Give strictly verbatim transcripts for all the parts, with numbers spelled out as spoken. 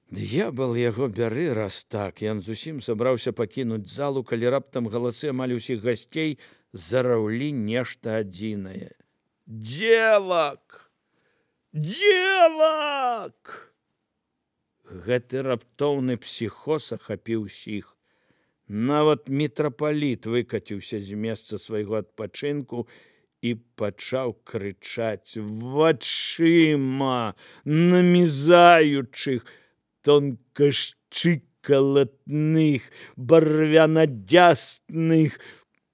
Д'ябал яго бяры, раз так. Ён зусім сабраўся пакінуць залу, калі раптам галасы амаль усіх гасцей зараўлі нешта адзінае. Дзевак! Дзевак! Гэты раптоўны псіхоз ахапіў усіх. Нават мітрапаліт выкаціўся з месца свайго адпачынку і пачаў крычаць вачыма, намізаючых, тонкашчыкалатных, барвянадзясных,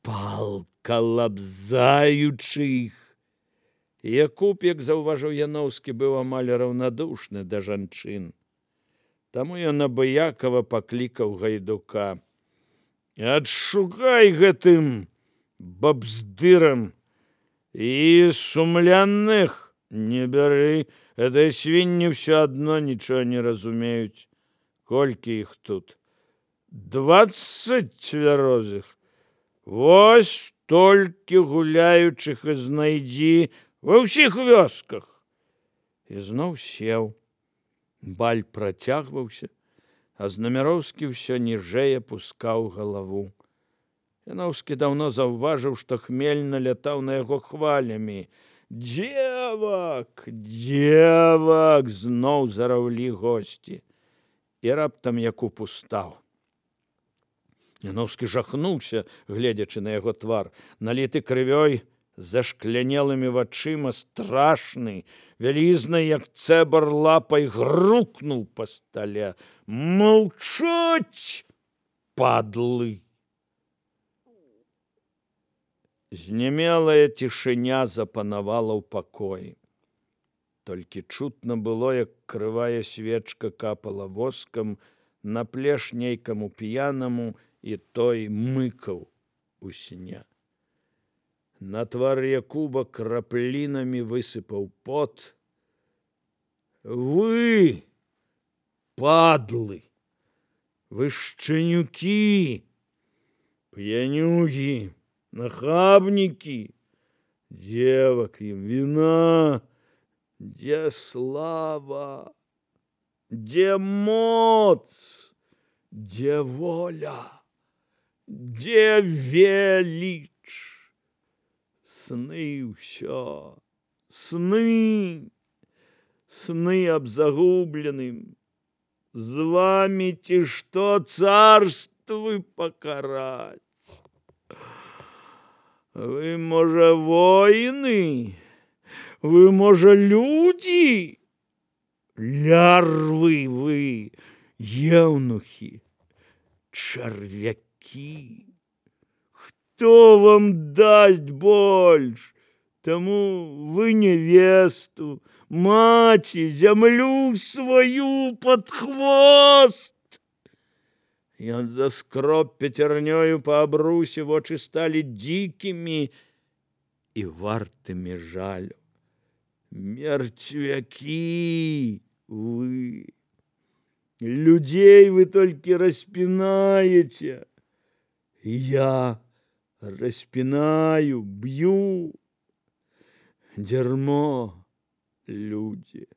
палка лабзаючых. Якуб, як заўважыў Яноўскі, быў амаль раўнадушны да жанчын. Таму ён абыякава паклікаў гайдука. Адшукай гэтым бабздырам і сумленных не бяры. Гэтыя свінні ўсё адно нічого не разумеюць. Колькі іх тут? Дваццаць цвярозых. Вось толькі гуляючых і знайдзі ва ўсіх вёсках. І зноў сеў. Баль працягваўся, а Знамяроўскі ўсё ніжэй апускаў галаву. Яноўскі даўно заўважыў, што хмель налятаў на яго хвалямі. Дзевак, дзевак! Зноў зараўлі госці. І раптам Якуб устаў. Яноўскі жахнуўся, гледзячы на яго твар. Наліты крывёй, зашклянелымі вачыма, страшны, вялізны, як цэбар лапай, грукнуў па стале. Маўчаць, падлы! Знямелая цішыня запанавала ў пакоі. Толькі чутно было, як крывая свечка капала воскам на плеш нейкаму п'янаму, і той мыкаў у сне. На твар Якуба краплінамі высыпаў пот. Вы, падлы, вы шчанюкі, п'янюгі, нахабнікі, дзевак ім віна, дзе слава, дзе моц, дзе воля, дзе веліч. Сны ўсё, сны, сны аб загубленым. З вами ці што царствы пакараць? Вы, можа, воіны? Вы, можа, людзі? Лярвы вы, еўнухі, чарвякі. Хто вам дасць больш? Таму вы невесту, маці, зямлю сваю пад хвост. Ён заскроб пяцярнёю па абрусе, вочы сталі дзікімі і вартымі жалю. Мертвякі вы! Людзей вы толькі распінаеце. Я распінаю, б'ю. Дзярмо, людзі.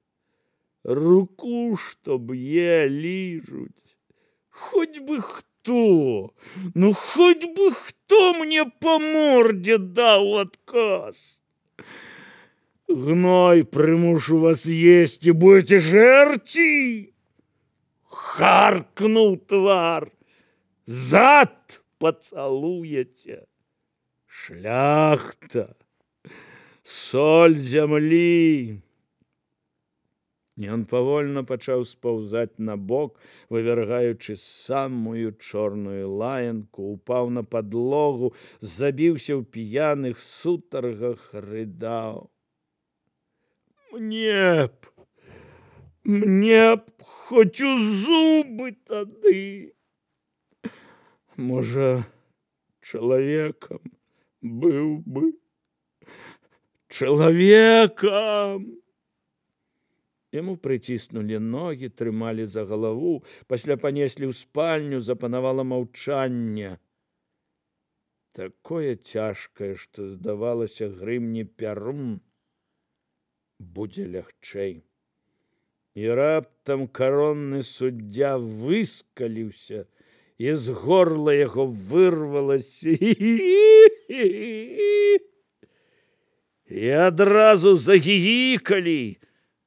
Руку, што б'е, ліжуць. Хоть бы хто, ну хоть бы хто мне по морде даў адказ. Гной прымушу вас есці, будете жэрці. Харкнуў твар. Зад пацалуеце. Шляхта, соль зямлі. Ён павольна пачаў спаўзаць на бок, вывяргаючы самую чорную лаянку, упаў на падлогу, забіўся ў п'яных сутаргах, рыдаў. Мне б, мне б хоць у зубы тады. Можа, чалавекам быў бы. Чалавекам! Яму прыціснулі ногі, трымалі за галаву, пасля панеслі ў спальню, запанавала маўчанне. Такое цяжкае, што здавалася, грымне пярун, будзе лягчэй. І раптам каронны суддзя выскаліўся, і з горла яго вырвалася і адразу загігікалі,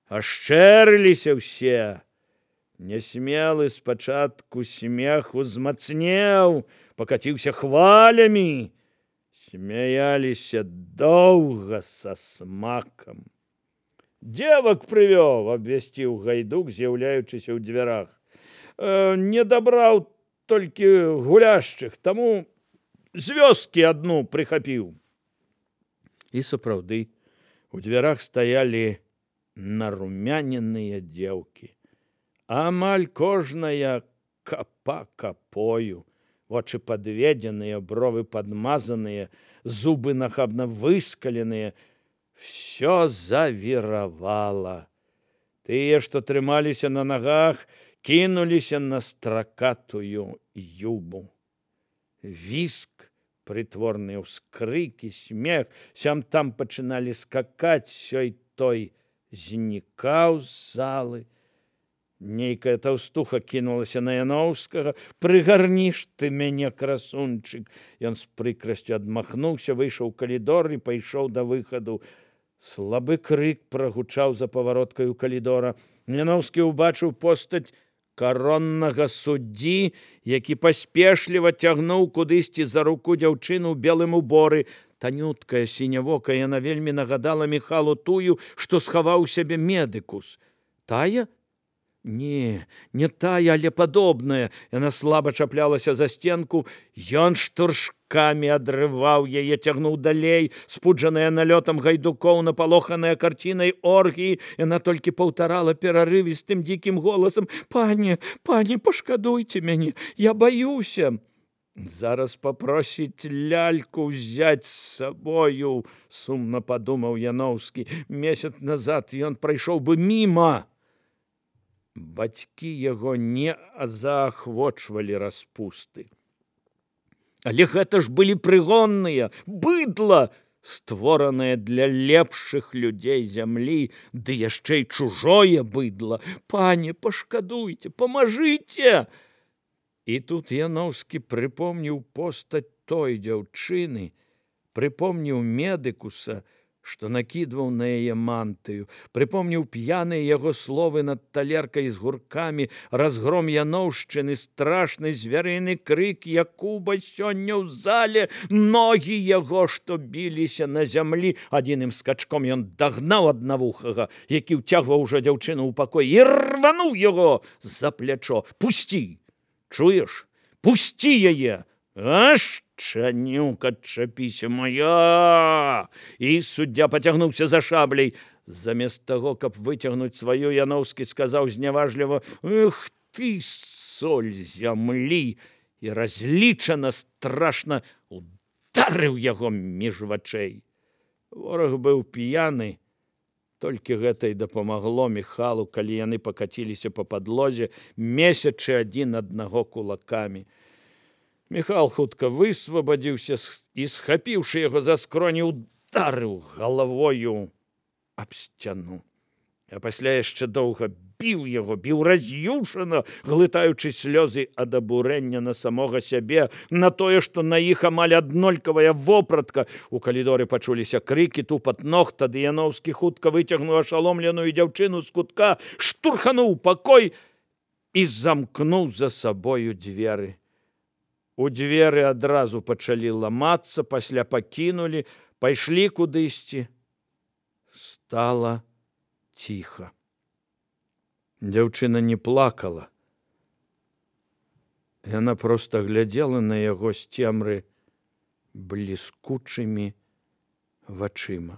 ашчэрыліся ўсе. Нясмелы спачатку смех узмацнеў, пакаціўся хвалямі, смяяліся доўга са смакам. «Девак прывёў», — абвясціў Гайдук, з'яўляючыся ў дзвярах. «Э, «Не дабраў толькі гуляшчых, таму з вёскі адну прыхапіў». І сапраўды, у дзвярах стаялі нарумяненыя дзеўкі. Амаль кожная капа капою, вочы падведзеныя, бровы падмазаныя, зубы нахабна выскаленыя. Всё завіравала. Тыя, што трымаліся на нагах, кінуліся на стракатую юбу. Віск, прытворныя ўскрыкі, смех, сям-там пачыналі скакаць, сёй-той знікаў з залы. Нейкая таўстуха кінулася на Яноўскага. «Прыгарніш ты мяне, красунчык!» Ён з прыкрасцю адмахнуўся, выйшаў у калідор і пайшоў да выхаду. Слабы крык прагучаў за павароткаю калідора. Яноўскі ўбачыў постаць кароннага суддзі, які паспешліва цягнуў кудысьці за руку дзяўчыну ў белым уборы. Танюткая, сінявокая, яна вельмі нагадала Міхалу тую, што схаваў у сябе медыкус. Тая? Не, не тая, але падобная. Яна слаба чаплялася за сценку. Ён штуршкамі адрываў яе, цягнуў далей. Спуджаная налётам гайдукоў, напалоханая карцінай оргіі, яна толькі паўтарала перарывістым дзікім голасам: «Пане, пане, пашкадуйце мяне, я баюся». «Зараз папросіць ляльку ўзяць з сабою», — сумна падумаў Яноўскі. Месяц назад ён прайшоў бы міма. Бацькі яго не заахвочвалі распусты. Але гэта ж былі прыгонныя, быдла, створанае для лепшых людзей зямлі, ды яшчэ і чужое быдла. «Пане, пашкадуйце, памажыце!» І тут Яноўскі прыпомніў постаць той дзяўчыны, прыпомніў медыкуса, што накідваў на яе мантыю, прыпомніў п'яныя яго словы над талеркай з гуркамі, разгром яноўшчыны, страшны звярыны крык Якуба сёння ў зале, ногі яго, што біліся на зямлі. Адзіным скачком ён дагнаў аднавухага, які ўцягваў ужо дзяўчыну ў пакой, і рвануў яго за плячо. «Пусці! Чуеш? Пусці яе! Аш, чанюк, адчапіся моя!» І суддзя пацягнуўся за шабляй. Замест таго, каб выцягнуць сваю, Яноўскі сказаў зняважліва: «Эх ты, соль зямлі!» І разлічана страшна ударыў яго між вачэй. Вораг быў п'яны. Толькі гэта і дапамагло Міхалу, калі яны пакаціліся па падлозе, месячы адзін аднаго кулакамі. Міхал хутка высвабадзіўся і, схапіўшы яго за скроні, ударыў галавою аб сцяну. А пасля яшчэ доўга біў яго, біў раз'юшана, глытаючы слёзы ад абурэння на самога сябе, на тое, што на іх амаль аднолькавая вопратка. У калідоры пачуліся крыкі, тупат ног, тады Яноўскі хутка выцягнуў ашаломленую дзяўчыну з кутка, штурхануў пакой і замкнуў за сабою дзверы. У дзверы адразу пачалі ламацца, пасля пакінулі, пайшлі кудысьці. Стала ціха. Дзяўчына не плакала. Яна проста глядзела на яго з цемры бліскучымі вачыма.